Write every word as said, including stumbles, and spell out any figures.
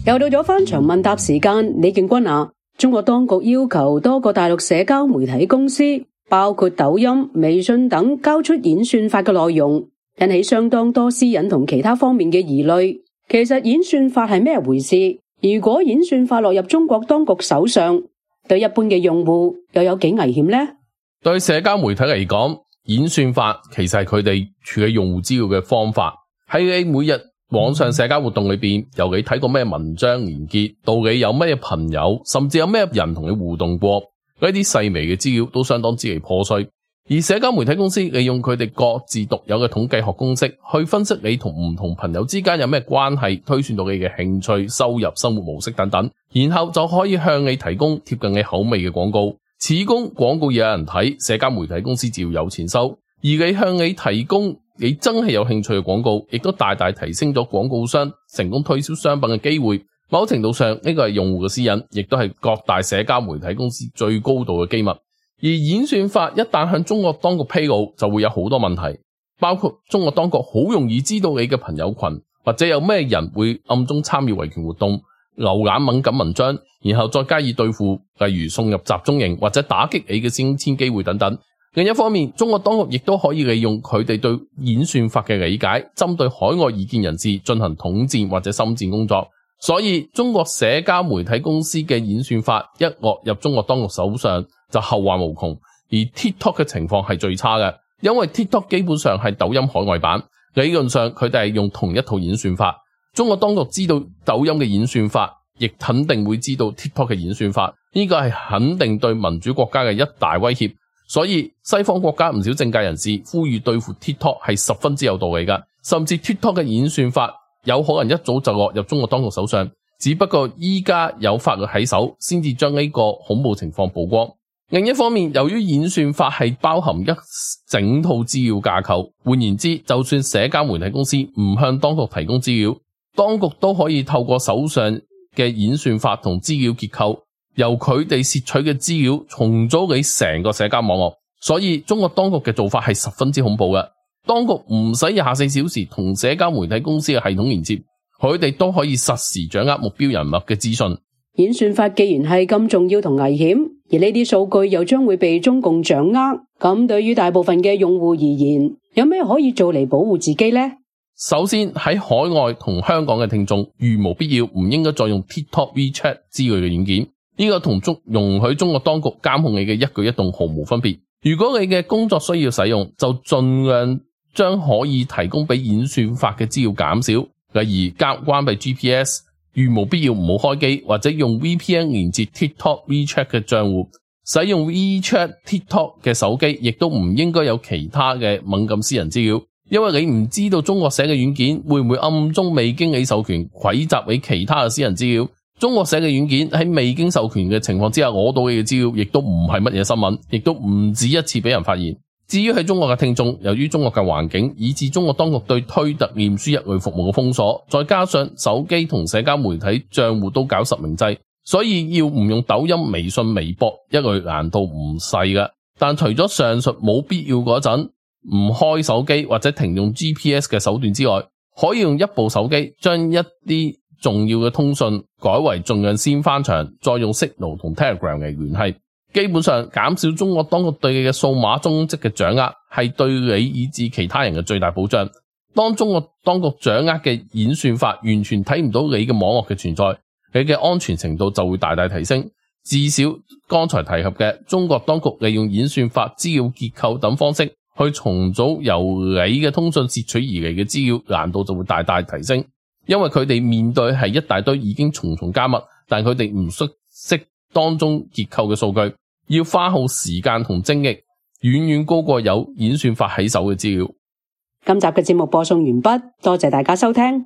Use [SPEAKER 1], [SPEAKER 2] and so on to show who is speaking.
[SPEAKER 1] 又到咗翻牆問答時間，李建軍啊，中國當局要求多個大陸社交媒體公司，包括抖音、微信等，交出演算法嘅內容，引起相當多私隱同其他方面嘅疑慮。其實演算法係咩回事？如果演算法落入中國當局手上，對一般嘅用戶又有幾危險呢？
[SPEAKER 2] 對社交媒體嚟講，演算法其實係佢哋處理用戶資料嘅方法。喺你每日網上社交活動裏邊，由你睇過咩文章連結，到你有咩朋友，甚至有咩人同你互動過，呢啲細微嘅資料都相當之嚟破碎。而社交媒體公司利用佢哋各自獨有嘅統計學公式，去分析你同唔同朋友之間有咩關係，推算到你嘅興趣、收入、生活模式等等，然後就可以向你提供貼近你口味嘅廣告。此供廣告有人睇，社交媒體公司只要有錢收。而你向你提供你真係有興趣嘅廣告，亦都大大提升咗廣告商成功推銷商品嘅機會。某程度上，呢個係用戶嘅私隱，亦都係各大社交媒體公司最高度嘅機密。而演算法一旦向中國當局披露，就會有好多問題，包括中國當局好容易知道你嘅朋友群，或者有咩人會暗中參與維權活動、瀏覽敏感文章，然後再加以對付，例如送入集中營或者打擊你嘅升遷機會等等。另一方面，中國當局亦都可以利用佢哋對演算法嘅理解，針對海外異見人士進行統戰或者深戰工作。所以中國社交媒體公司嘅演算法一落入中國當局手上，就後患無窮。而 TikTok 嘅情況係最差嘅，因為 TikTok 基本上係抖音海外版，理論上佢哋係用同一套演算法。中國當局知道抖音嘅演算法，亦肯定會知道 TikTok 嘅演算法，呢個係肯定對民主國家嘅一大威脅。所以西方國家唔少政界人士呼籲對付 TikTok 係十分之有道理㗎，甚至 TikTok 嘅演算法有可能一早就落入中國當局手上，只不過依家有法律喺手，先至將呢個恐怖情況曝光。另一方面，由於演算法係包含一整套資料架構，換言之，就算社交媒體公司唔向當局提供資料，當局都可以透過手上嘅演算法同資料結構，由佢哋竊取嘅資料重組你成個社交網絡。所以中國當局嘅做法係十分之恐怖嘅。當局唔使廿四小時同社交媒體公司嘅系統連接，佢哋都可以實時掌握目標人物嘅資訊。
[SPEAKER 1] 演算法既然係咁重要同危險，而呢啲數據又將會被中共掌握，咁對於大部分嘅用戶而言，有咩可以做嚟保護自己呢？
[SPEAKER 2] 首先，喺海外同香港嘅聽眾，如無必要唔應該再用 TikTok、WeChat 之類嘅軟件，呢個同中容許中國當局監控你嘅一舉一動毫無分別。如果你嘅工作需要使用，就盡量將可以提供俾演算法嘅資料減少，例如關關閉 G P S， 如無必要唔好開機，或者用 V P N 連接 TikTok、WeChat 嘅賬戶。使用 WeChat、TikTok 嘅手機，亦都唔應該有其他嘅敏感私人資料，因為你唔知道中國寫嘅軟件會唔會暗中未經你授權蒐集你其他嘅私人資料。中國寫嘅軟件喺未經授權嘅情況之下攞到你嘅資料，亦都唔係乜嘢新聞，亦都唔止一次俾人發現。至於喺中國嘅聽眾，由於中國嘅環境，以致中國當局對推特、臉書一類服務嘅封鎖，再加上手機同社交媒體賬戶都搞實名制，所以要唔用抖音、微信、微博一類難度唔細嘅。但除咗上述冇必要嗰陣唔開手機或者停用 G P S 嘅手段之外，可以用一部手機將一啲重要嘅通訊改為盡量先翻牆，再用 Signal 同 Telegram 嚟聯繫。基本上減少中國當局對你嘅數碼蹤跡嘅掌握，係對你以至其他人嘅最大保障。當中國當局掌握嘅演算法完全睇唔到你嘅網絡嘅存在，你嘅安全程度就會大大提升。至少剛才提及嘅中國當局利用演算法、資料結構等方式去重組由你嘅通訊竊取而嚟嘅資料，難度就會大大提升。因為佢哋面對係一大堆已經重重加密，但佢哋唔熟悉當中結構嘅數據，要花耗時間同精力，遠遠高過有演算法喺手嘅資料。
[SPEAKER 1] 今集嘅節目播送完畢，多謝大家收聽。